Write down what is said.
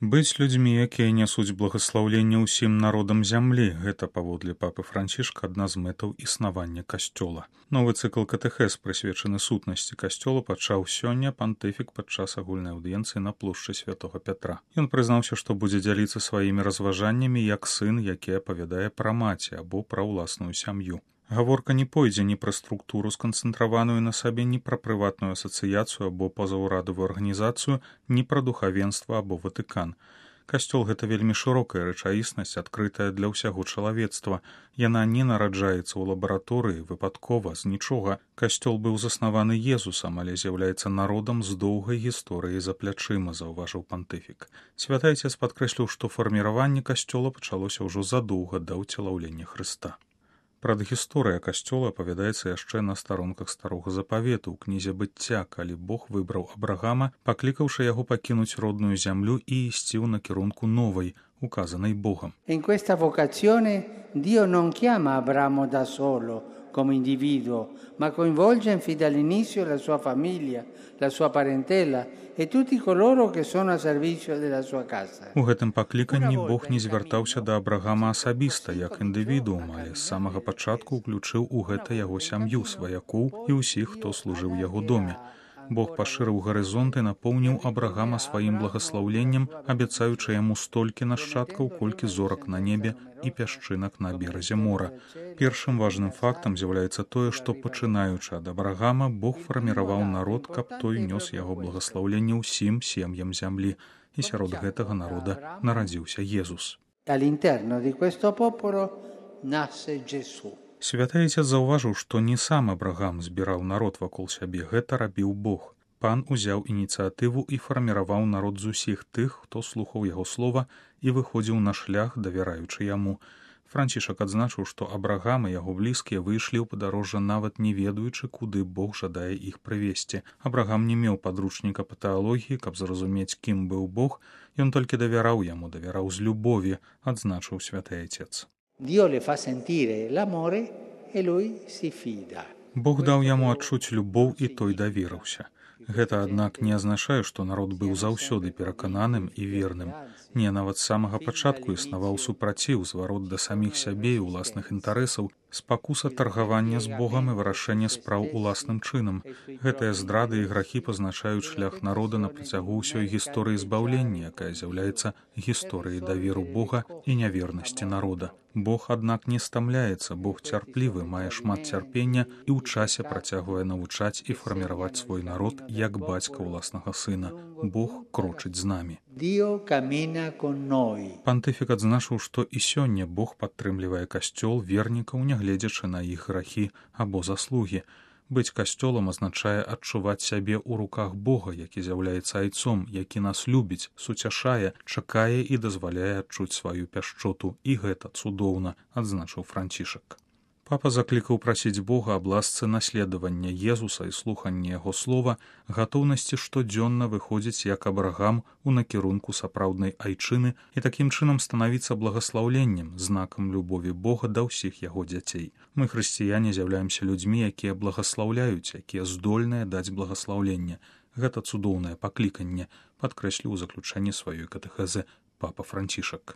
Быць людзьмі, якія нясуць благаслаўленне ўсім народам зямлі, гэта, паводле папы Францішка, адна з мэтаў існавання касцёла. Новы цыкл катэхез, прысвечаны сутнасці касцёла, пачаў сёння пантыфік падчас агульнай аўдыенцыі на плошчы Святога Пятра. Ён прызнаўся, што будзе дзяліцца сваімі разважаннямі як сын, які апавядае пра маці або пра ўласную сям'ю. Гаворка не пойдзе ні пра структуру, сканцэнтраваную на сабе, ні пра прыватную асацыяцыю або пазаўрадавую арганізацыю, ні пра духавенства або Ватыкан. Касцёл — гэта вельмі шырокая рэчаіснасць, адкрытая для ўсяго чалавецтва. Яна не нараджаецца ў лабараторыі, выпадкова, з нічога. Касцёл быў заснаваны Езусам, але з'яўляецца народам з доўгай гісторыяй за плячыма, заўважыў пантыфік. Святы Айцец падкрэсліў, што фарміраванне касцёла пачалося ўжо задоўга да ўцелаўлення Хрыста. Прадгісторыя касцёла апавядаецца яшчэ на старонках Старога Запавету ў кнізе Быцця, калі Бог выбраў Абрагама, паклікаўшы яго пакінуць родную зямлю і ісці ў накірунку новай, указанай Богам. In questa vocazione Dio non chiama Abramo da solo, come individuo, ma coinvolge fin dall'inizio la sua famiglia, la sua parentela e tutti coloro che sono a servizio della sua casa. У гэтым пакліканні Бог не звяртаўся да Абрагама асабіста, як індывідуум, але з самага пачатку ўключыў у гэта яго сям'ю, сваякоў і ўсіх, хто служыў яго доме. Бог пашырыў гарызонт і напоўніў Абрагама сваім благаслаўленнем, абяцаючы яму столькі нашчадкаў, колькі зорак на небе і пясчынак на беразе мора. Першым важным фактам з'яўляецца тое, што, пачынаючы ад Абрагама, Бог фарміраваў народ, каб той нёс яго благаслаўленне ўсім сем'ям зямлі, і сярод гэтага народа нарадзіўся Езус. All'interno di questo popolo nasce Gesù. Святы Айцец заўважыў, што не сам Абрагам збіраў народ вакол сябе, гэта рабіў Бог. Пан узяў ініцыятыву і фарміраваў народ з усіх тых, хто слухаў яго слова і выходзіў на шлях, давяраючы яму. Францішак адзначыў, што Абрагам і яго блізкія выйшлі ў падарожжа, нават не ведаючы, куды Бог жадае іх прывесці. Абрагам не меў падручніка па тэалогіі, каб зразумець, кім быў Бог, ён толькі давяраў яму, давяраў з любові, адзначыў святы Айцец. Dio le fa sentire l'amore e lui si fida. Бог даў яму адчуць любоў, і той даверыўся. Гэта, аднак, не азначае, што народ быў заўсёды перакананым і верным. Не, нават з самага пачатку існаваў супраціў, зварот да саміх сябе і ўласных інтарэсаў, спакуса таргавання з Богам і вырашэння спраў уласным чынам. Гэтыя здрады і грахі пазначаюць шлях народа на працягу ўсёй гісторыі збаўлення, якая з'яўляецца гісторыяй даверу Бога і нявернасці народа. Бог, аднак, не стамляецца, Бог цярплівы, мае шмат цярпення і ў часе працягвае навучаць і фарміраваць свой народ як бацька ўласнага сына. Бог крочыць з намі. Пантыфік адзначыў, што і сёння Бог падтрымлівае касцёл, вернікаў, нягледзячы на іх грахі або заслугі. Быць касцёлам азначае адчуваць сябе ў руках Бога, які з'яўляецца айцом, які нас любіць, суцяшае, чакае і дазваляе адчуць сваю пяшчоту. І гэта цудоўна, адзначыў Францішак. Папа заклікаў прасіць Бога аб ласцы наследавання Езуса і слухання яго слова, гатоўнасці штодзённа выходзіць як Абрагам у накірунку сапраўднай айчыны і такім чынам станавіцца благаслаўленнем, знакам любові Бога да ўсіх яго дзяцей. Мы, хрысціяне, з'яўляемся людзьмі, якія благаслаўляюць, якія здольныя даць благаслаўленне. Гэта цудоўнае пакліканне, падкрэсліў у заключэнні сваёй катэхезы папа Францішак.